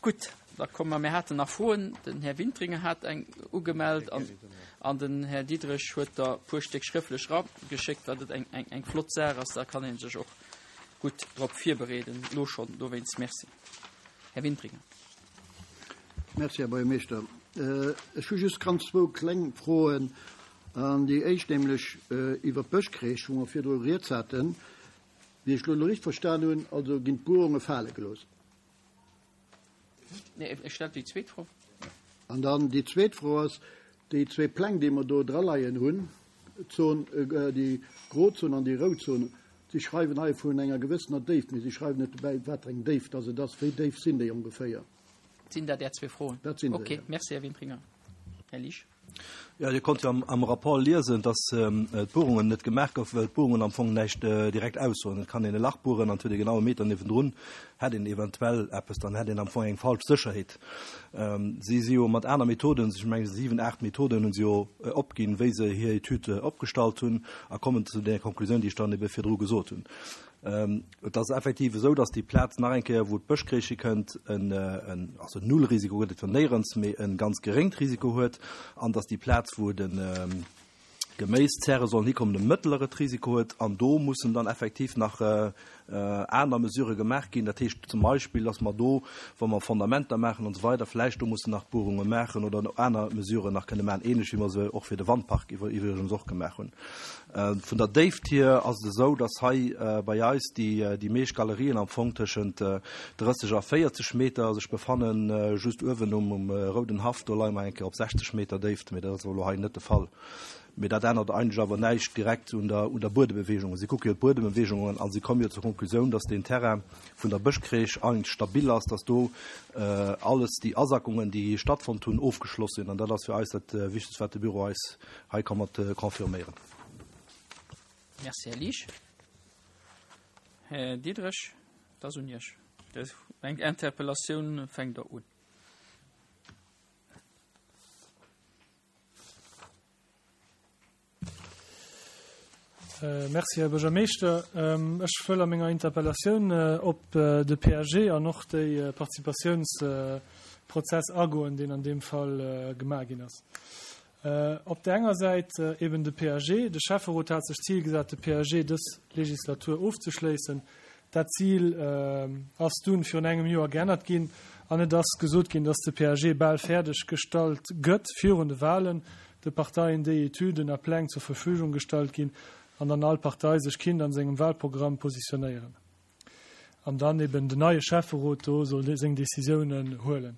Gutt, da komme mer, mir haten nach Froen. Den Här Wintringer hat eng ugemellt an, an den Här Diderich huet der e puer Stéck schréfflech erageschéckt, wat et eng, eng, eng flott Saach ass. Da kann ee sech och gutt drop virbereeden, elo schonn. Dowéinst Merci. Här Wintringer. Merci, Här Buergermeeschter. Ech hu just ganz zwou kleng Froen. An déi éischt nämlech iwwert d'Bëschcrèche, wou mer virdru rieds haten. Wéi ech elo richteg verstan hunn, also ginn d'Buerunge fale gelooss. Nee, ech stellt déi zweet Fro. An dann déi zweet Fro ass, déi zwee Pläng, déi mer do draleien hunn, d'Zon, déi gro Zon an déi rout Zon, si schreiwen hei vun enger gewëssener Déift, mee si schreiwen net dobäi, wat fir eng Déift dass et ass. Wéi déif sinn déi ongeféier? Sinn dat Är zwee Froen? Dat sinn se, jo. Okay, merci, Här Wintringer. Här Liesch. Jo, Dir konnt jo am Rapport liesen, dass d'Buerungen net gemaach goufen, well d'Buerungen am Fong näischt direkt aussoen. Et kann een e Lach bueren an et huet ee genau e Meter niewendrun, hätt een eventuell eppes, dann hätt een am Fong eng falsch Sécherheet. Si si jo mat aner Methoden, ech mengen siwen, aacht Methoden hu se jo opginn, wéi se hir Etüd opgestallt hunn a kommen zu där Konklusioun, déi ech dann ebe virdru gesot hunn. Et ass effektiv esou, dass déi Plaz nach eng Kéier, wou d'Bëschcrèche hikënnt, en, en, also Nullrisiko gëtt et jo néierens, mee e ganz geréngt Risiko huet, an dass déi Plaz, wou de Geméiszäre sollen hikommen, e mëttleret Risiko huet. An do mussen dann effektiv nach aner Mesurë gemaach ginn. Dat heescht zum Beispill, dass mer do, wa mer Fondamenter maachen an esou weider, vläicht do mussen nach Buerunge maachen oder aner Mesuren nach kënne maachen, ähnlech wéi mer se och fir de Wandpark iwwregens och gemaach hunn. Vun der Déift hier ass et esou, dass hei bei eis déi meescht Galerien am Fong tëschent 30 a 40 Meter sech befannen. Just uewen um Rouden Haff, do leie mer eng Kéier op 60 Meter Déift, mee dat ass elo hei net de Fall. Mee dat ännert eigentlech awer näischt direkt un der Buedembewegung. Si kucke jo d'Buedembewegungen a si komme jo zur Konklusioun, dass deen Terrain vun der Bëschcrèche eigentlech stabil ass, dass do alles déi Asackungen, déi stattfonnt hunn, ofgeschloss sinn. An dat ass fir eis dat Wichtegst, wat de Büro eis Hei ka mat confirméieren. Merci, Här Liesch. Här Diderich, et ass un Iech. Eng Interpellatioun fänkt Der un. Merci, Här Buergermeeschter. Ech wëll a menger Interpellatioun op de PAG an och déi Participatiounsprozess agoen, deen an deem Fall gemaach ginn ass. Op där enger Säit eben de PAG. De Schäfferot hat sech d'Zil gesat, de PAG dës Legislatur ofzeschléissen. Dat Zil ass dunn virun engem Joer geännert ginn an et ass gesot ginn, dass de PAG bal fäerdeg gestallt gëtt virun de Wahlen, de Parteien déi Etüden a Pläng zur Verfügung gestallt ginn an dann all Partei sech kinnt an sengem Wahlprogramm positionéieren an dann eben den neie Schäfferot do soll seng Decisiounen huelen.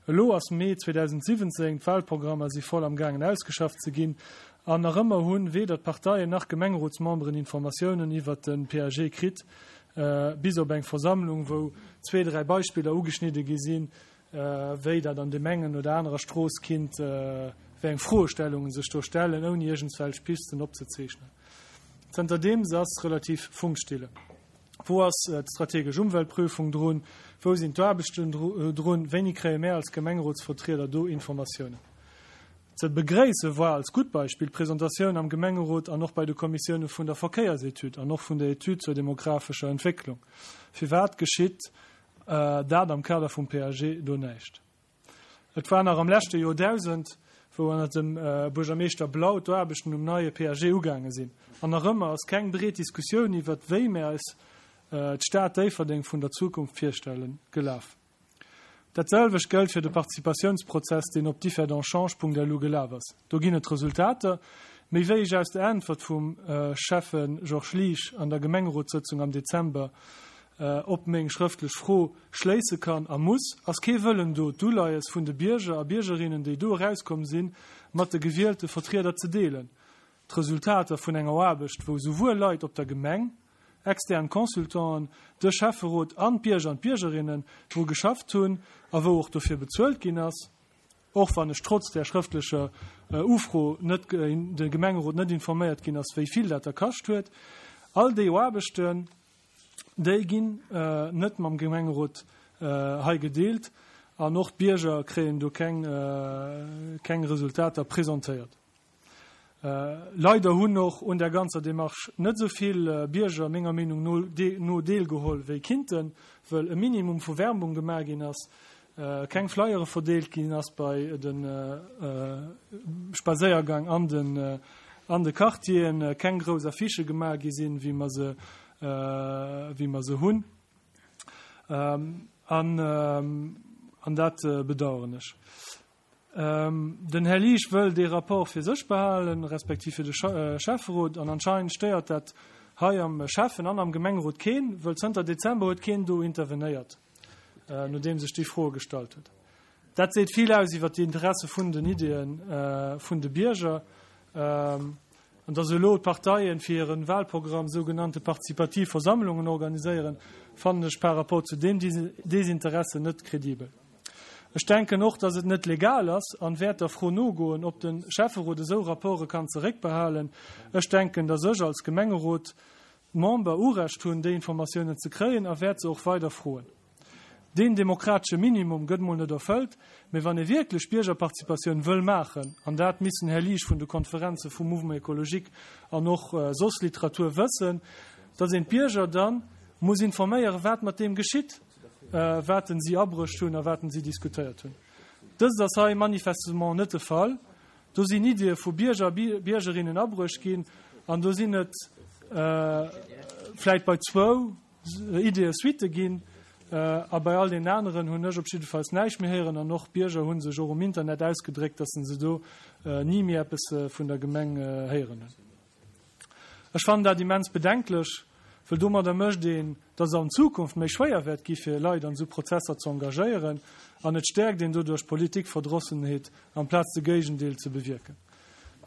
Elo ass Mee 2017, d'Wahlprogrammer si voll am gaangen ausgeschafft ze ginn an nach ëmmer hunn weder d'Parteien nach Gemengerotsmemberen Informatiounen iwwert de PAG kritt, bis op eng Versammlung wou zwee, dräi Beispiller ugeschnidde gi sinn, wéi dat an deem engen oder anerer Strooss kinnt, wéi eng Froestellungen sech do stellen, ouni iergendswelch Pisten opzezeechnen. Zënterdeems ass relativ Funkstille. Wou ass d'strategesch Umweltprüfung drun? Wou sinn d'Aarbechten drun? Wéini kréie mär als Gemengerotsvertrieder do Informatiounen? Ze begréisse war als gutt Beispill d'Presentatioun am Gemengerot an och bei de Kommissioune vun der Verkéiersetüd an och vun der Etüd zur demographescher Entwécklung. Firwat geschitt dat am Kader vum PAG do näischt? Et war nach am leschte Joerdausend, wou ënnert dem Buergermeeschter Blau d'Aarbechten um neie PAG ugaange sinn. An nach ëmmer ass keng breet Diskussioun iwwert wéi mär eis d'Stad Déifferdeng vun der Zukunft virstellen, gelaf. Dat selwecht gëllt fir de Participatiounsprozess, deen op differdange.lu gelaf ass. Do ginn et Resultater, méi wéi ech aus der Äntwert vum Schäffe Georges Liesch an der Gemengerotssëtzung am Dezember op meng schrëftlech Fro schléisse kann a muss, ass kee Wëllen do, d'Uleies vun de Bierger a Biergerinnen, déi do erauskomm sinn, mat de gewielte Vertrieder ze deelen. D'Resultater vun enger Aarbecht, wou souwuel Leit op der Gemeng, extern Consultanten, de Schäfferot an d'Bierger an d'Biergerinnen dru geschafft hunn a wou och dofir bezuelt ginn ass, och wann ech trotz där schrëftlecher Ufro net de Gemengerot net informéiert ginn ass, wéi vill dat da kascht huet, all déi Aarbechten, Déi ginn net mam Gemengerot hei gedeelt an och d'Bierger kréien do keng keng Resultater presentéiert. Leider hunn och un där ganzer Démarche net esou vill Bierger menger Meenung no no deelgeholl wéi kinnten, wëll e Minimum vu Werbung gemaach ginn ass. keng Flyere verdeelt ginn ass bei de Spadséiergang an den an de Quartieren, keng grouss Affichë gemaach gi sinn, wéi mer se wéi mer se hunn. An an dat bedauern ech. Den Här Liesch wëll dee Rapport fir sech behalen, respektiv fir de Schäfferot, an anscheinend stéiert dat hei am Schäffen an am Gemengerot keen, wëll zënter Dezember huet keen do intervenéiert, nodeems ech déi Froe gestallt huet. Dat seet vill aus iwwer déi Interesse vun den Ideeë vun de Bierger. An dass elo d'Parteien fir hiren Wahlprogramm sougenannte partizipativ Versammlungen organiséieren, fannen ech par rapport zu deem Desinteresse net kredibel. Ech denken och, dass et net legal ass an wäert der Fro nogoen, ob den Schäfferot esou Rapporte kann zeréckbehalen. Ech denken, dass ech als Gemengerot Member Urecht hunn, déi Informatiounen ze kréien a wäert se och weider froen. Deen demokratesche Minimum gëtt mol net erfëllt, mee wann ee wierklech Biergerparticipatioun wëll maachen, an dat misst den Här Liesch vun de Konferenze vum Mouvement écologique an och soss Literatur wëssen, datt een d'Bierger da muss informéieren, wat mat deem geschitt, wat en si abruecht hunn a wat en si diskutéiert hunn. Dëst ass hei manifestement net de Fall. Do sinn Iddie vu Bierger a Biergerinnen abruecht ginn an do sinn et vläit bei zwou, Ideeë Suitte ginn. A bei all deenen aneren hunn ech op jiddefalls näischt méi héieren. An och Bierger hu sech och um Internet ausgedréckt, datt se do ni méi eppes vun der Gemeng héieren hunn. Ech fannen dat immens bedenklech, wëll domadder mécht een, datt et an Zukunft méi schwéier wäert gi fir Leit an esou Prozesser ze engagéieren an et stäerkt een doduerch Politikverdrossenheet amplaz de Géigendeel ze bewierken.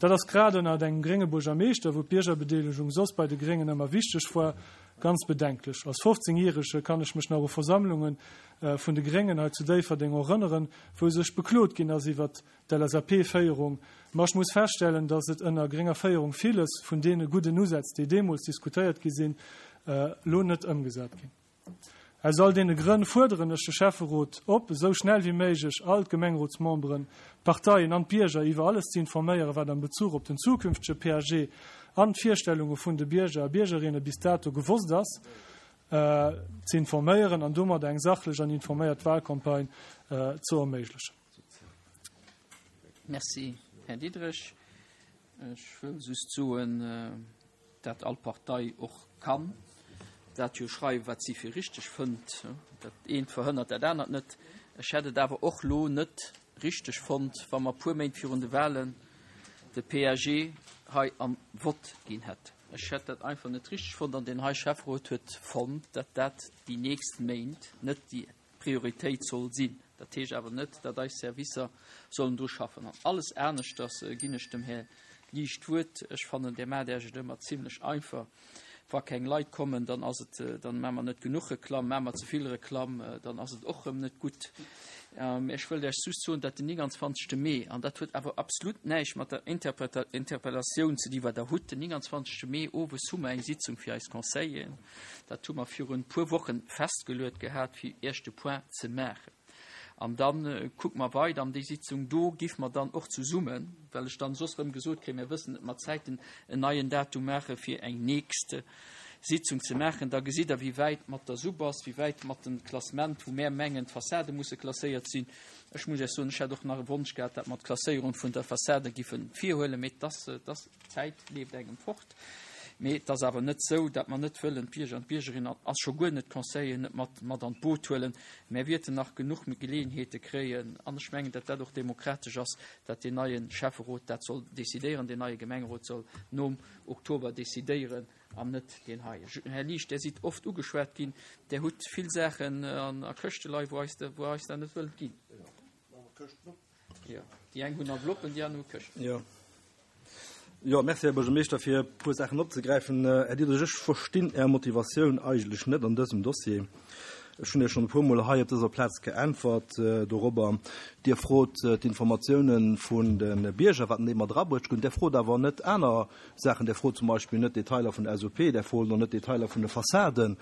Dat ass grad ënnert engem grénge Buergermeeschter, wou d'Biergerbedeelegung soss bei de Gréngen ëmmer wichteg war, ganz bedenklech. Als 15 Järege kann ech mech nach u Versammlunge vun de Gréngen hei zu Déifferdeng erënneren, wou sech beklot ginn ass iwwert d'LSAP-Féierung. Ma ech muss feststellen, datt et ënner grénger Féierung villes vun deene gudden Usätz, déi deemools diskutéiert gi sinn, elo net ëmgesat ginn. Aus all deene Grënn fuerderen ech de Schäfferot op, esou schnell wéi méiglech all d'Gemengerotsmemberen, d'Parteien an d'Bierger iwwer alles ze informéieren, wat am Bezuch op den zukünftege PAG an d'Virstellunge vun de Bierger a Biergerinne bis dato gewosst ass, ze informéieren an domadder eng sachlech an informéiert Wahlcampagne ze erméiglechen. Merci, Här Diderich. Ech wëll just soen, dat all Partei och kann dat jo schreiwen, wat si fir richteg fënnt. Dat eent verhënnert dat anert net. Ech hätt et awer och lo net richteg fonnt, wa mer puer Méint virun de Wahlen de PAG hei am Vott ginn hätt. Ech hätt dat einfach net richteg fonnt an deen hei Schäfferot huet fonnt, dat dat déi nächst Méint net déi Prioritéit soll sinn. Dat heescht awer net, datt eis Servicer sollen dru schaffen. An alles aneschters ginn ech dem Här Liesch d'Wuert. Ech fannen, Dir maacht Iech et ëmmer zimlech einfach. Wa keng Leit kommen, dann ass et, dann maache mer net genuch Reklamm. Maache mer ze vill Reklamm, dann ass et och erëm net gutt. Ech wëllt Iech just soen, datt den 29. Mee, an dat huet awer absolut näischt mat der Interpellatioun ze di wat Der hutt, den 29. Mee owes hu mer eng Sitzung fir eis Conseilleren. Dat hu mer virun e puer Wochen festgeluet gehat, fir Iech de Point ze maachen. An da kucke mer weider. An déi Sitzung do giff mer dann och zesummen, well ech dann soss erëm gesot kréien, mir wëssen net mat Zäiten, en neien Datum maache fir eng nächst Sitzung ze maachen. Da gesitt Der, wéi wäit mat der Sub ass, wéi wäit mat dem Klassement, wou mär mengen, d'Fassade musse klasséiert sinn. Ech muss Iech soen, ech hätt och nach e Wonsch gehat, dat mer d'Klasséierung vun der Fassade giffe virhuelen, mee et ass, et ass, D'Zäit leeft engem fort. Mee et ass awer net esou, datt mer net wëllen d'Bierger an d'Biergerinnen an a scho guer net d'Conseilleren net mat mat an d'Boot huelen. Mär wierten nach genuch Geleeënheete kréien an ech mengen, datt dat och demokratesch ass, datt deen neie Schäfferot dat soll decidéieren, deen neie Gemengerot soll nom Oktober decidéieren an net deen heien. Här Liesch, Där sidd oft ugeschwat ginn. Där hutt vill Saachen an a Këschte leien, wou eis wou eis dat net wëllt ginn. Jo, déi eng hunn Enveloppen, déi aner hu Këschten. Jo. Jo, merci, Här Buergermeeschter, fir e puer Saachen opzegräifen. Här Diderich, ech verstinn Är Motivatioun eigentlech net an dësem Dossier. Ech hunn Iech schonn e puermol hei op dëser Plaz geäntwert dorobber. Dir frot d'Informatiounen vun de Bierger, wat déi mat erabruecht hunn. Dir frot awer net aner Saachen. Där frot zum Beispill net Detailer vun der SOP, där frot och net Detailer vun de Fassaden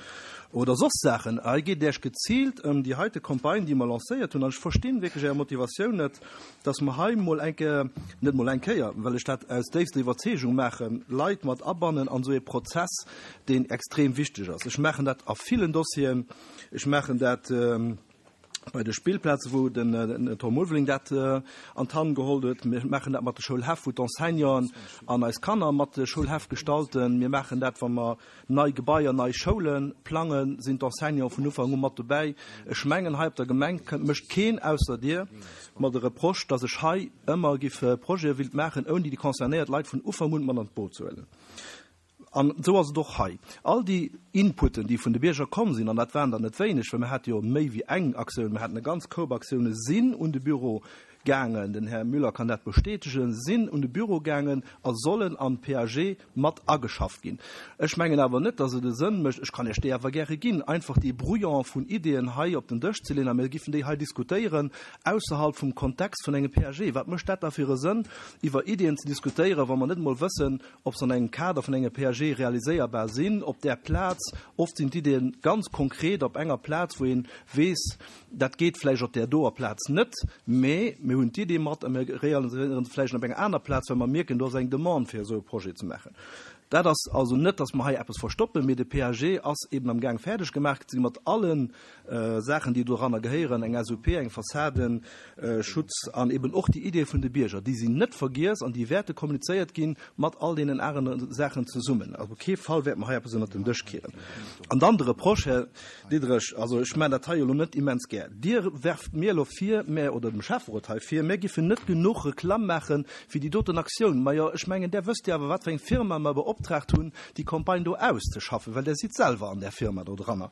oder soss Saachen. Hei geet et Iech geziilt ëm déi heite Campagne, déi mer lancéiert hunn. An ech verstinn wierklech Är Motivatioun net, dass mer hei mol eng Kéier, net mol eng Kéier, well ech dat aus déifster Iwwerzeegung maachen, Leit mat abannen an esou ee Prozess, deen extrem wichteg ass. Ech maachen dat a villen Dossieren. Ech maachen dat. Bei de Spillplaze wou den Tom Ulveling dat an d'Hand geholl huet. Mir maachen dat mat de Schoulhäff, wou d'Enseignanten an eis Kanner mat de Schoulhäff gestalten. Mir maachen dat, wa mer nei Gebaier, nei Schoule plangen, sinn d'Enseignanten vun Ufank u mat dobäi. Ech mengen, hei op der Gemeng kënnt mécht keen ausser Dir mer de Reproche, dass ech hei ëmmer giff Projete willt maachen, ouni déi concernéiert Leit vun Ufank un mat an d'Boot ze huelen. An esou ass et och hei. All déi Inputen, déi vun de Bierger komm sinn, an dat waren der net wéineg, well mir hate jo méi wéi eng Aktioun, mir haten e ganz Koup Aktiounen, sinn un de Büro gaangen, den Här Müller kann dat bestätegen, sinn un de Büro gaangen a sollen am PAG mat ageschafft ginn. Ech mengen awer net, dass et e Sënn mécht, ech kann Iech déi awer gäre ginn, einfach dee Brouillon vun Ideeën hei op den Dësch ze leeën a mir giffen déi hei diskutéieren ausserhalb vum Kontext vun engem PAG. Wat mécht dat da fir e Sënn, iwwer Ideeën ze diskutéieren, wa mer net emol wëssen, ob se an engem Kader vun engem PAG realiséierbar sinn op där Plaz. Oft sinn d'Iddien ganz konkret op enger Plaz, wou ee weess, dat geet vläicht op där doer Plaz net, mä mir hunn d'Idee mat a mir realiséiere se vläicht op enger aner Plaz, well mer mierken, do ass eng Demande fir esou e Projet ze maachen. Dat ass also net, datt mer hei eppes verstoppen, mee de PAG ass eben am Gaang fäerdeg gemaach ze gi mat allen Saachen, déi doranner gehéieren, eng SUP, eng Fassadenschutz an eben och déi Ideeë vun de Bierger, déi sinn net vergiess an déi wäerte kommunizéiert gi mat all deenen anere Saachen zesummen. Also op kee Fall wäerte mer hei eppes ënnert den Dësch kieren. An dann de Reproche, Här Diderich, also ech maachen dat hei elo net immens gär, Dir werft mir elo vir, mä, oder dem Schäfferot hei vir, mir giffen net genuch Reklamm maache fir déi doten Aktioun. Majo, ech mengen, där wësst jo awer, wat fir eng Firma mer beoptraagt hunn, déi Campagne do auszeschaffen, well Der sidd selwer an där Firma do dranner.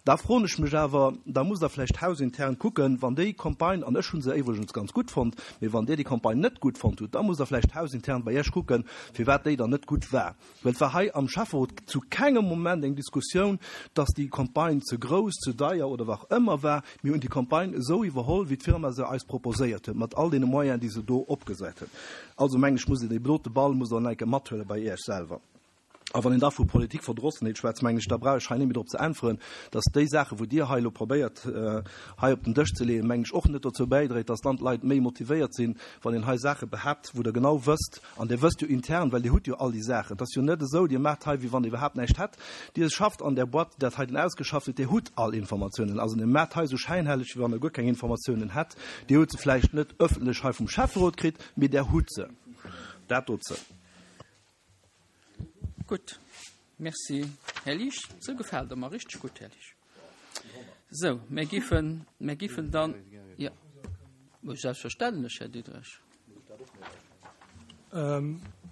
Da froen ech mech awer, da musst Der vläicht hausintern kucken, wann déi Campagne, an ech hu se iwwregens ganz gutt fonnt, mee wann Dir déi Campagne net gutt fonnt hutt, da musst Der vläicht hausintern bei Iech kucken, firwat déi dann net gutt war. Well et war hei am Schäfferot zu kengem Moment eng Diskussioun, dass déi Campagne ze grouss, ze deier oder wat och ëmmer war. Mir hunn déi Campagne esou iwwerholl, wéi d'Firma se eis proposéiert huet, mat all deene Moyenen, déi se do opgesat huet. Also mengen ech, musst Dir dee dote Ball musst Der nach eng Kéier mathuele bei Iech selwer. A wann een da vu Politikverdrossenheet schwätzt, mengen ech, da brauch ech hei net méi drop ze äntweren, dass déi Saachen, wou Dir hei elo probéiert hei op den Dësch ze leeën, mengen ech, och net dozou bäidréit, dass dann d'Leit méi motivéiert sinn, wann een hei Saache behaapt, wou Der genau wësst, an Dir wësst jo intern, well Dir hutt jo all déi Saachen, et ass jo net esou, Dir maacht hei, wéi wann Der iwwerhaapt näischt hätt, Dir schafft an där Boîte, déi dat heiten ausgeschafft huet, Dir hutt all Informatiounen. Also Dir maacht hei esou schäinhelleg, wéi wann Der guer keng Informatiounen hätt. Dir hutt se vläicht net öffentlech hei vum Schäfferot kritt, mee Der hutt se. Dat dozou. Gutt, merci Här Liesch. Sou gefält der mer richteg gutt, Här Liesch. Sou, mir giffen, mir giffen dann, jo, selbstverständlech, Här Diderich.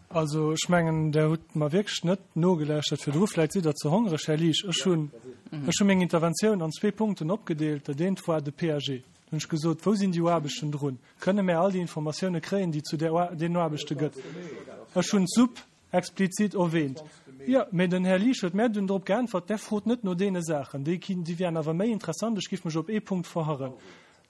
Also ech mengen, Der hutt mer wierklech net nogelauschtert virdru. Vläicht sidd Der ze hongreg, Här Liesch. Ech hunn, ech hu meng Interventioun an zwee Punkten opgedeelt. Dat eent war de PAG. Do hunn ech gesot, wou sinn déi Aarbechten drun? Kënne mär all déi Informatioune kréien, déi zu deenen Aarbechte gëtt? Ech hunn d'Supp explizit erwähnt. Jo, mä den Här Liesch huet mär dunn drop geäntwert, Der frot net no deene Saachen, déi déi wären awer méi interessant, ech giff mech op ee Punkt verharren.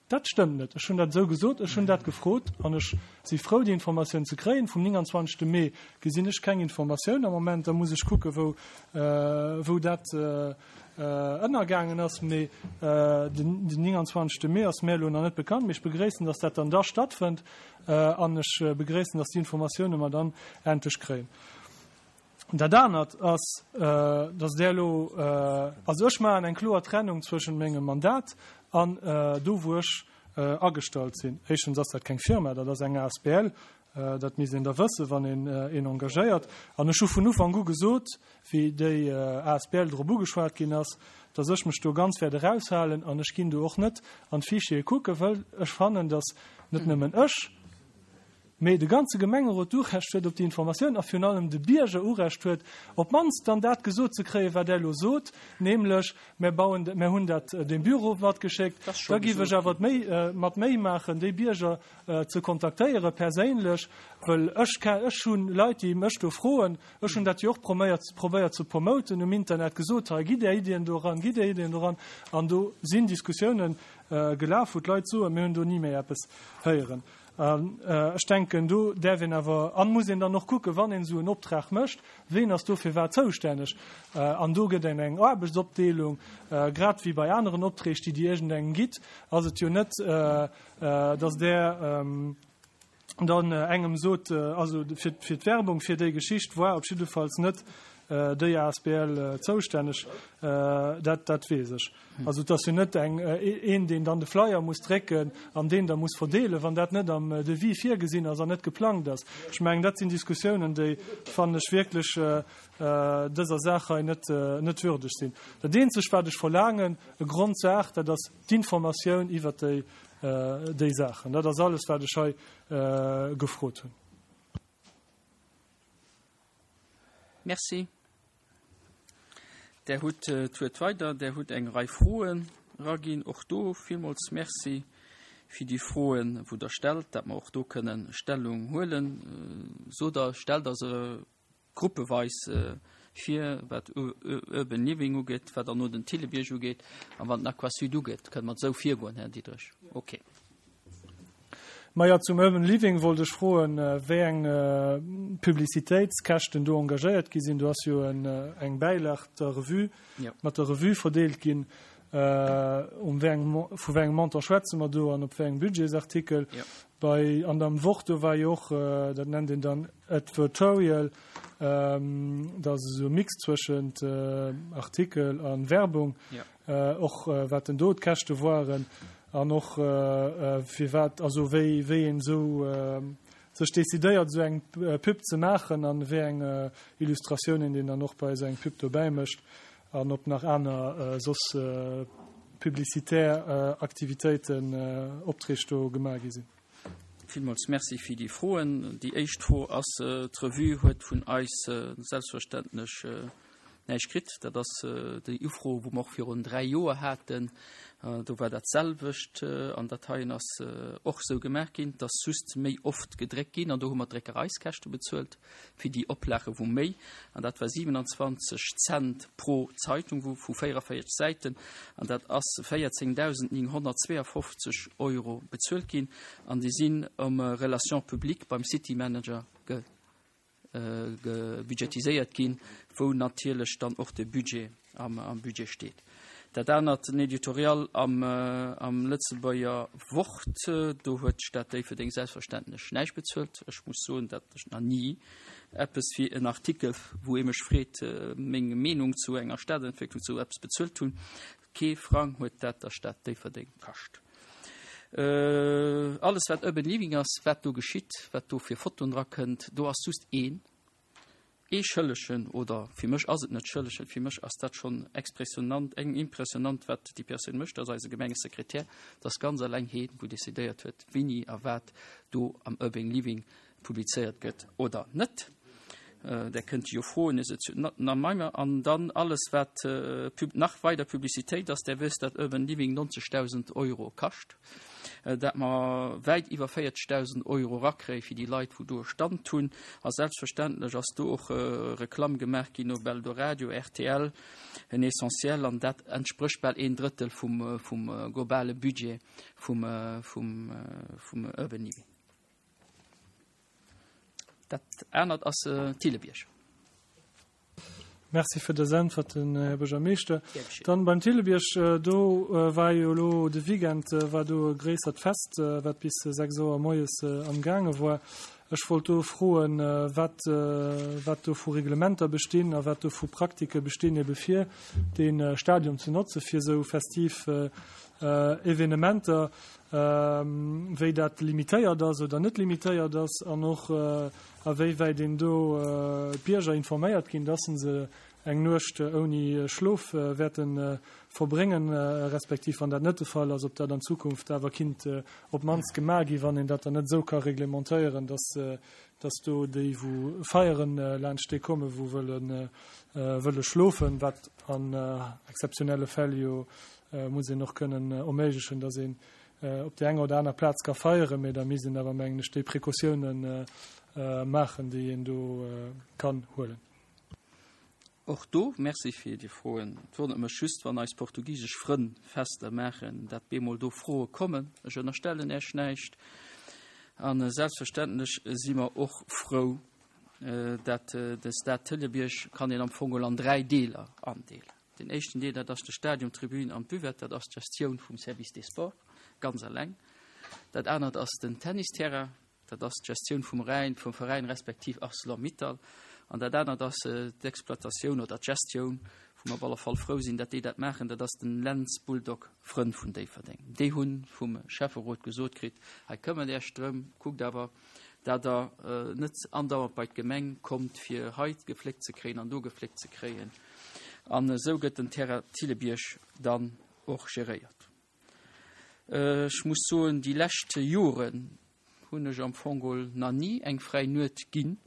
Dat stëmmt net. Ech hunn dat esou gesot, ech hunn dat gefrot an ech si frou, déi Informatioun ze kréien. Vum 29. Mee gesinn ech keng Informatioun am Moment. Da muss ech kucke wou, wou dat ënnergaangen ass, mee den 29. Mee ass mär elo nach net bekannt. Mee ech begréissen, dass dat dann da stattfënnt an ech begréissen, dass déi Informatioune mer dann endlech kréien. Dat anert ass, dass Der elo, also ech maachen eng kloer Trennung zwëschent mengem Mandat an do, wou ech agestallt sinn. Éischtens ass dat keng Firma, dat ass eng asbl. Dat misst een da wëssen, wann een een engagéiert. An ech hu vun Ufank u gesot, wéi déi asbl drop ugeschwat ginn ass, dass ech mech do ganz wäert eraushalen an ech ginn do och net an d'Fichiere kucken, wëll ech fannen, dass net nëmmen ech, mee de ganze Gemengerot Urecht huet op déi Informatioun a virun allem de Bierger Urecht huet, op d'mannst dann dat gesot ze kréien, wat Der elo sot, nämlech, Mär bauen, mär hunn dat dem Büro matgeschéckt. Da géif ech awer d'Méi, mat Méi maachen, déi Bierger ze kontaktéiere perséinlech, wëll ech ech hu Leit, déi mech do froen, ech hunn dat jo och proméiert, probéiert ze promoten um Internet, gesot, hei gitt Är Iddien do eran, gitt Är Iddien do eran, an do sinn Diskussiounen gelaf, wou d'Leit soen, mir hunn do ni méi eppes héieren. An ech denken, do däerf een awer an muss een dann och kucken, wann een esou en Optrag mécht, ween ass do fir wat zoustänneg. An do gëtt een eng Aarbechtsopdeelung, grad wéi bei aneren Opträg, déi Dir iergendengem gitt, ass et jo net, dass Der dann engem sot, also fir d'Werbung fir déi Geschicht war op jiddefalls net. déi Asbl zoustänneg, dat, dat weess ech. Also et ass jo net eng, een, deen dann de Flyer muss drécken an deen da muss verdeelen, wann dat net am Devis virgesinn ass an net geplangt ass. Ech mengen, dat sinn Diskussiounen, déi, fannen ech, wierklech dëser Saach hei net, net würdeg sinn. Dat eenzegt, wat ech verlaangen, e Grondsaach, dat ass d'Informatioun iwwert déi, déi Saachen. Dat ass alles, wat ech hei gefrot hunn. Merci. Där hutt d'Wuert weider. Där hutt eng Rei Froen eraginn. Och do villmools Merci fir déi Froen, wou Der stellt, dat mer och do kënnen Stellung huelen. Sot Der, stellt Der se gruppeweis vir, wat Urban Living ugeet, wat dann no den Thillebierg ugeet a wat den Aquasud ugeet. Kënne mer esou virgoen, Här Diderich? Okay. Majo, zum Urban Living wollt ech froen, wéi eng Publicitéitskäschten do engagéiert gi sinn. Do ass jo eng Bäilag der Revue, mat der Revue verdeelt ginn. Um wéi eng, vu wéi engem Montant schwätze mer do an op wéi engem Budgetsartikel? Bei, an am Wort, do war jo och, dat nennt een dann Advertorial, dat ass esou e Mix zwëschent Artikel a Werbung. Och wat denn do d'Käschte woaren an och firwat, also wéi wéi een esou sech decidéiert esou eng Pub ze maachen an wéi eng Illustratiounen een dann och bei esou eng Pub dobäi mécht an ob nach aner soss publicitaire Aktivitéiten, Opträg do gemaach gi sinn. Villmools Merci fir déi Froen. Déi éischt Fro ass, D'Revue huet vun eis selbstverständlech näischt kritt. Dat ass déi Ufro, wou mer och virun 3 Joer haten. Do war dat selwecht. An dat heien ass och esou gemaach ginn. Et ass just méi oft gedréckt ginn an do hu mer d'Dréckereiskäschte bezuelt fir déi Oplage wou méi, an dat war 27 Cent pro Zeitung wou vu 44 Säiten, an dat ass 14.952 Euro bezuelt ginn an déi sinn um Relations publiques beim City Manager ge gebudgetiséiert ginn, wou natierlech dann och de Budget am Budget steet. Dat anert, den Editorial am am Lëtzebuerger Wort, do huet d'Stad Déifferdeng selbstverständlech näischt bezuelt. Ech muss soen, datt ech nach ni eppes fir en Artikel, wou ee mech freet, meng Meenung zu enger Stadentwécklung, zu eppes bezuelt hunn. Kee Frang huet dat der Stad Déifferdeng kascht. Alles wat Urban Living ass, wat do geschitt, wat do fir Fotoen dra kënnt, do ass just een, ee Schëllegen, oder fir mech ass et net Schëllegen, fir mech ass dat schonn expressionant, eng impressionant wat déi Persoun mécht, dat ass eise Gemengesekretär, dat ass ganz eleng heen, wou decidéiert huet, wéini a wat do am Urban Living publizéiert gëtt oder net. Där kënnt jo froen, is et na meimer an dann alles wat nach weider Publicitéit ass, där wësst dat Urban Living 90.000 Euro kascht, dat mer wäit iwwer 40.000 Euro rakréie fir déi Leit wou do e Stand hunn a selbstverständlech ass do och Reklamm gemaach ginn op Eldoradio, rtl, en Essentiel an dat entsprécht bal een Drëttel vum vum globale Budget vum vum vum Urban Living. Dat anert ass Thillebierg. Merci fir dës Äntwerten, Här Buergermeeschter. Dann beim Thillebierg, do war jo elo de Weekend war do e gréissert Fest, wat bis 6 Auer moies amgaange war. Ech wollt do froen, wat, wat do vu Reglementer bestinn a wat do vu Praktike bestinn, ebe fir dee Stadion ze notze fir esou festiv Evenementer. wéi dat limitéiert ass oder net limitéiert ass an och awéiwäit een do d'Bierger informéiert ginn, dass se eng Nuecht ouni Schlof wäerte verbréngen, respektiv wann dat net de Fall ass, ob dat an Zukunft awer kinnt op d'mannst gemaach ginn, wann een dat dann net esou ka reglementéieren, dass dass do déi wou feieren laanscht dee kommen, wou wëlle wëlle schlofen, wat an exzeptionelle Fäll jo muss een och kënnen erméiglechen, dass een op där enger oder aner Plaz ka feieren, mä da misst een awer, mengen ech, déi Precautiounen maachen, déi een do kann huelen. Och do Merci fir déi Froen. Et wonnert mech just, wann eis portugisesch Frënn Fester maachen, dat bemol do Froe kommen. Ech ënnerstellen Äech näischt. A selbstverständlech si mer och frou, dat de Stade Thillebiërg kann een am Fong an dräi Deeler andeelen. Den éischten Deel, dat ass de Stadion, d'Tribün an d'Buvette, dat ass d'Gestioun vum Service des Sports ganz eleng. Dat anert ass den Tennisterrain, dat ass d'Gestioun vum Rhäin, vum Veräin respektiv Arcelor Mittal. An dat anert ass d'Exploitatioun oder d'Gestioun, wou mer op alle Fall frou sinn, datt déi dat maachen, dat ass den Lentz Bulldog Frënn vun Déifferdeng. Déi hu vum Schäfferot gesot kritt, hei këmmert Iech drëm, kuckt awer, dat Der net andauernd bei d'Gemeng kommt, fir hei gefléckt ze kréien an do gefléckt ze kréien. An esou gëtt den Terrain Thillebierg dann och geréiert. Ech muss soen, déi lescht Joren hunn ech am Fong geholl nach ni eng fräi Nuet ginn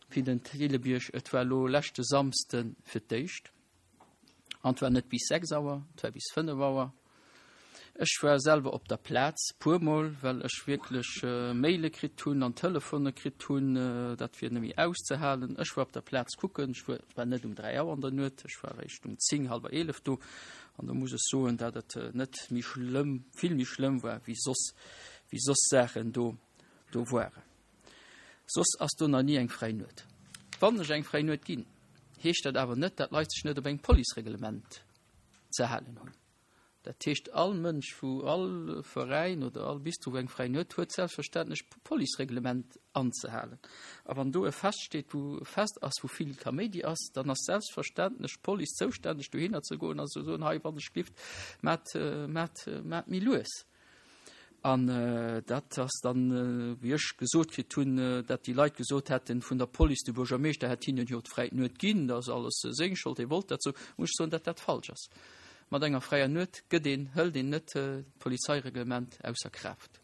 fir den Thillebierg. Et war elo leschte Samsde fir d'éischt. An et war net bis 6 Auer, et war bis 5 Auer. Ech war selwer op der Plaz puermol, well ech wierklech Maile kritt hunn an Telefone kritt hunn, dat wier net méi auszehalen. Ech war op der Plaz kucken, ech war net um 3 Auer an der Nuet, ech war eréischt um 10, hallwer 11 do. An do muss ech soen, dat et net méi schlëmm, vill méi schlëmm war wéi soss, wéi soss Saachen do, do waren. Soss ass do nach ni eng fräi Nuet. Wann ech eng fräi Nuet ginn, heescht dat awer net, dat Leit sech net op eng Policereglement ze halen hunn. Dat heescht, all Mënsch, wou all Veräin oder all Bistro, wou eng fräi Nuet huet, selbstverständlech d'Policereglement anzehalen. A wann do e Fest steet, wou e Fest ass, wou vill Kaméidi ass, dann ass selbstverständlech d'Police zoustänneg, dohinner ze goen a ze soen, Hei, wann ech glift, maacht, maacht, maacht méi lues. An dat ass dann, wéi ech gesot kritt hunn, dat déi Leit gesot hätten vun der Police, de Buergermeeschter hätt hinnen jo d'fräi Nuet ginn, dat ass alles seng Schold, hie wollt dat esou, muss ech soen, dat dat falsch ass. Mat enger fräier Nuet gëtt een, hëlt een net d'Polizeireglement ausser Kraaft.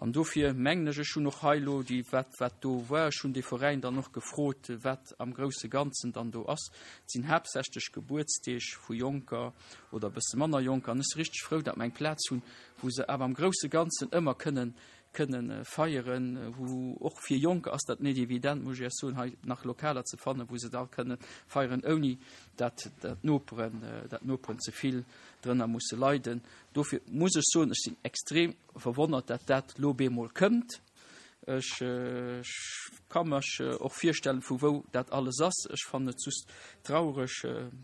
An dofir mengen ech, ech hunn och hei elo déi, wat, wat do war, ech hunn dee Veräin dann och gefrot, wat am grousse Ganzen dann do ass. Et sinn haaptsächlech Gebuertsdeeg vu Jonker oder e bësse manner Jonker. An ech si richteg frou, datt mer eng Plaz hunn, wou se awer am grousse Ganzen ëmmer kënnen, kënnen feieren, wou och fir Jonker ass dat net evident, muss ech Iech soen, hei nach Lokaler ze fannen, wou se da kënnen feieren, ouni dat, dat d'Noperen, dat d'Noperen ze vill drënner musse leiden. Dofir muss ech soen, ech sinn extrem verwonnert, dat dat lo bemol kënnt. Ech ka mech och virstellen, vu wou dat alles ass. Ech fannen et just traureg,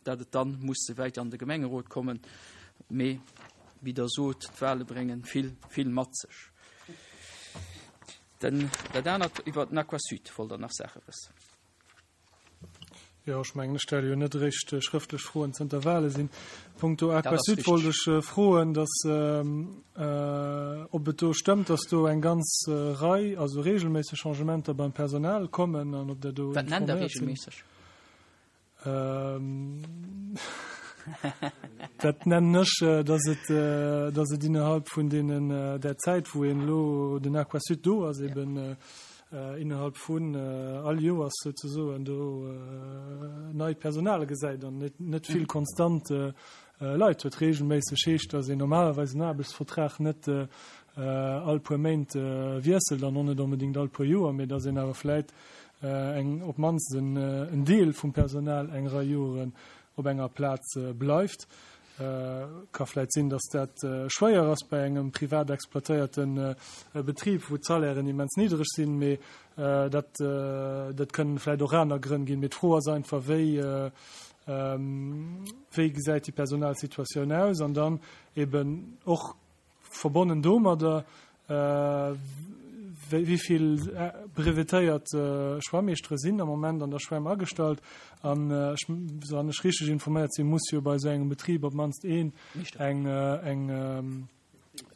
dat et dann muss sou wäit an de Gemengerot kommen. Mee wéi Der sot, d'Wahle bréngen vill, vill mat sech. Den, dat anert iwwer den Aquasud wollt Der nach Saache wëssen. Jo, ech mengen, ech stelle jo net eréischt schrëftlech Froen zënter Wale sinn. Punkto Aquasud wollt ech froen, dass, ob et do stëmmt, dass do eng ganz Rei, also regelméisseg Changementer beim Personal kommen an ob Der do Wat nennt Der informéiert sinn. regelméisseg? Dat nennen ech, dass et, dass et innerhalb vun deenen, där Zäit, wou een elo den Aquasud do ass, eben innerhalb vun all Joers souzesoen do neit Personal gesäit an net, net vill konstant Leit huet. Regelméisseg heescht, dass een normalerweis en Aarbechtsvertrag net all puer Méint wiesselt an och net onbedéngt all puer Joer, mee dass een awer vläit eng, op d'mannst en Deel vum Personal eng Rei Joren op enger Plaz bleift. Ka vläit sinn, datt dat schwéier ass bei engem privat exploitéierte Betrib, wou d'Salairen immens niddereg sinn, mee dat, dat kënnen vläit och aner Grënn ginn. Mee d'Fro ass einfach, wéi, wéi gesäit déi Personalsituatioun aus? An dann eben och Verbonnen domadder, wéi vill brevetéiert Schwammeeschtere sinn am Moment an der Schwämm agestallt? An ech, wann ech richteg informéiert sinn, muss jo bei esou engem Betrib op d'mannst een eng, eng,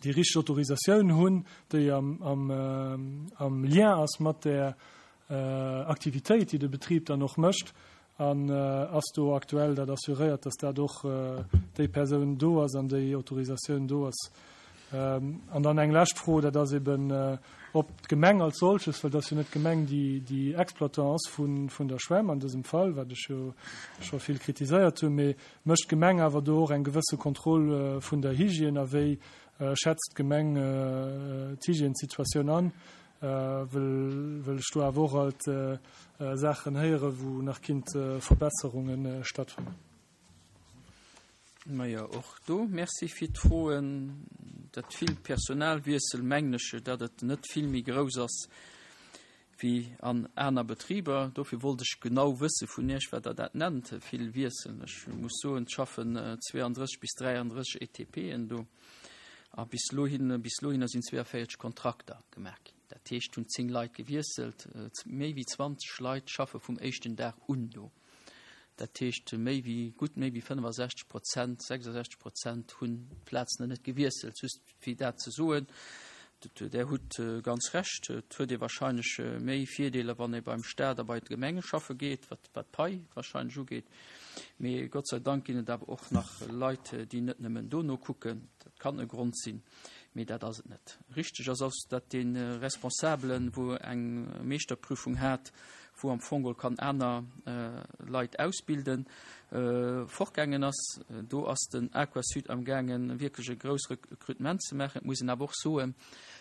déi richteg Autorisatioun hunn, déi am, am, am Lien ass mat där Aktivitéit, déi de Betrib dann och mécht. An ass do aktuell dat assuréiert, dass dat och déi Persoun do ass an déi Autorisatioun do ass? An dann eng lescht Fro, dat ass eben, ob d'Gemeng als solches, well et ass jo net d'Gemeng, déi déi Exploitant ass vun der Schwämm an dësem Fall, wat ech jo scho vill kritiséiert hunn, mee mécht d'Gemeng awer do och eng gewësse Kontroll vun der Hygiène a wéi schätzt d'Gemeng d'Hygiènesituatioun an? Wëll ech do awer och alt Saachen héieren, wou nach kinnt Verbesserunge stattfannen. Majo, och do Merci fir d'Froen. Dat vill Personalwiessel, mengen ech, datt et net vill méi grouss ass wéi an aner Betriber. Dofir wollt ech genau wësse vun Iech, wat Der dat nennt, vill Wiessel. Ech muss soen, et schaffen 32 bis 33 ETPen do. A bis elo hin, bis elo hinner sinn 42 Kontrakter gemaach ginn. Dat heescht, hunn 10 Leit gewiesselt. Méi wéi 20 Leit schaffe vum éischten Dag un do. Dat heescht, méi wéi, gutt méi wéi 65 Prozent, 66 Prozent hunn d'Plazen net gewiesselt. Just fir dat ze soen, Der hutt ganz Recht, et huet ee wahrscheinlech méi Virdeeler, wann ee beim Staat a bei d'Gemenge schaffe geet, wat d'Pai wahrscheinlech ugeet. Mee Gott sei Dank ginn et awer och nach Leit, déi net nëmmen dono kucken. Dat kann e Grond sinn, mee dat ass et net. Richteg ass ass, datt dee Responsabelen, wou eng Meeschterprüfung hat, wou am Fong geholl kann aner Leit ausbilden, fortgaangen ass. Do ass den Aquasud amgaangen, wierklech e grouss Rekrutement ze maachen. Et muss een awer och soen,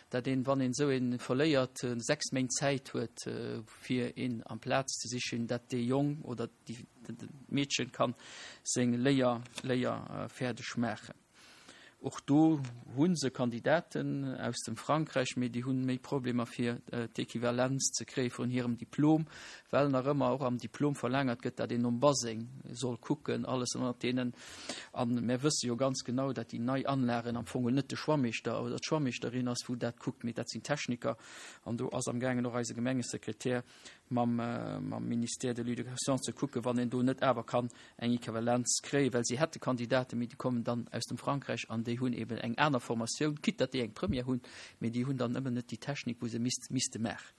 datt een, wann een esou ee verléiert, 6 Méint Zäit huet, fir een amplaz ze sichen, datt dee Jong oder d'Meedchen kann seng Léier fäerdeg maachen. Och do hu se Kandidaten aus dem Frankräich, mee déi hunn méi Problemer fir d'Equivalenz ze kréie vun hirem Diplom, well nach ëmmer och am Diplom verlaangert gëtt, dat een nom Baseng soll kucken, alles ënnert deenen. A mär wësse jo ganz genau, dat déi nei Anlagen am Fong net de Schwammeeschter oder d'Schwammeeschterin ass, wou dat kuckt, mee dat sinn Techniker. An do ass amgaangen och eise Gemengesekretär mam Ministère de l'Éducation ze kucken, wann een do net awer kann eng Equivalenz kréien, well si hätte Kandidaten, mee déi kommen dann aus dem Frankräich an déi hunn eben eng aner Formatioun, quitte datt déi eng Première hunn, mee déi hunn dann ëmmer net déi Technik, wou se misst, misste maachen.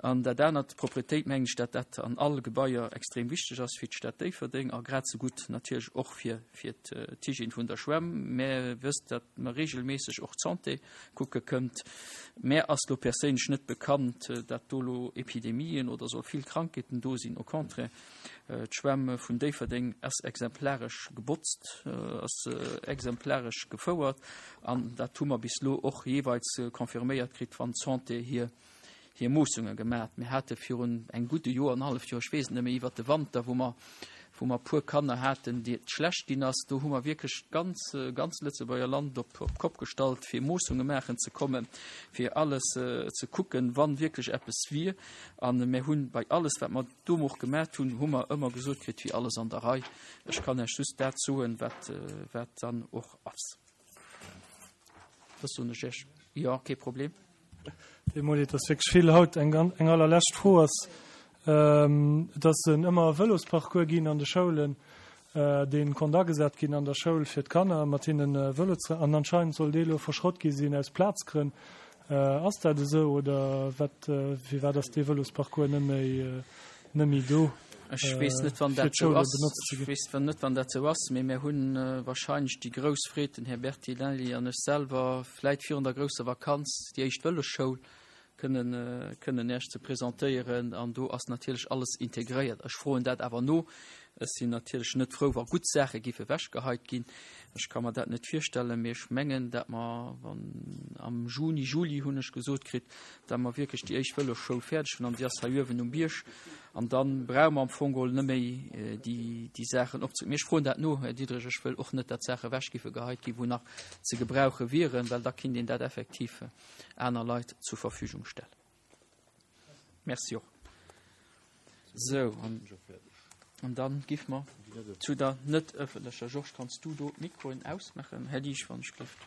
An dat anert, d'Propretéit, mengen ech, datt dat an all Gebaier extrem wichteg ass fir d'Stad Déifferdeng a grad esou gutt natierlech och fir, fir d'Hygiène vun der Schwämm. Mä wësst, datt mer regelméisseg och d'Santé kucke kënnt. Mär ass lo perséinlech net bekannt, dat do lo Epidemien oder soll vill Krankheeten do sinn. Au contraire, d'Schwämm vun Déifferdeng ass exemplaresch gebotzt, ass exemplaresch gefouert an dat hu mer bis lo och jeeweils confirméiert kritt, wann d'Santé hir hir Moossunge gemat. Mir hate virun engem gudde Joer, en halleft Joer, ech weess et net méi, iwwert de Wanter, wou mer, wou mer e puer Kanner haten, déi et schlecht ginn ass, do hu mer wierklech d'ganz, ganz Lëtzebuerger Land op, op d'Kopp gestallt, fir Moossunge maachen ze kommen, fir alles ze kucken, wann wierklech eppes wier. A mir hunn bei alles, wat mer do och gemat hunn, hu mer ëmmer gesot kritt, et wier alles an der Rei. Ech kann Iech just dat soen, wat, wat dann och ass. Dat soen ech Iech. Jo, kee Problem. Deemol, et ass wierklech vill haut. Eng, eng allerlescht Fro ass, et ass en ëmmer Vëlosparcours ginn an de Schoulen, dee konnt agesat ginn an der Schoul fir d'Kanner mat hinnen Vëlo ze, an anscheinend soll dee lo verschrott gi sinn aus Plazgrënn. Ass dat esou oder wat, firwat ass dee Vëlosparcours net méi, net méi do? Ech weess net, wann dat esou ass. Ech weess net, wann dat esou ass, mee mir hunn wahrscheinlech déi grouss Freed, den Här Bertinelli an ech selwer, vläit virun der grousser Vakanz déi éischt Vëlosschoul kënnen, kënnen Iech ze presentéieren. An do ass natierlech alles integréiert. Ech froen dat awer no. Ech sinn natierlech net frou, wa gutt Saache géife ewechgeheit ginn. Ech ka mer dat net virstellen, mee ech mengen, dat mer, wann am Juni, Juli hunn ech gesot kritt, dat mer wierklech déi éischt Vëlosschoul fäerdeg hunn an déi ass hei uewen um Bierg. An da brauche mer am Fong geholl net méi déi, déi Saachen opze. Mee ech froen dat no, Här Diderich. Ech wëll och net, dat Saache ewech géife geheit ginn, wou nach ze gebrauche wieren, well da kinnt een dat effektiv aner Leit zur Verfügung stellen. Merci och. Sou, an, an dann giff mer zu der net ëffentlecher. Georges, kanns du do d'Mikroen ausmaachen? Här Liesch, wann ech gelift.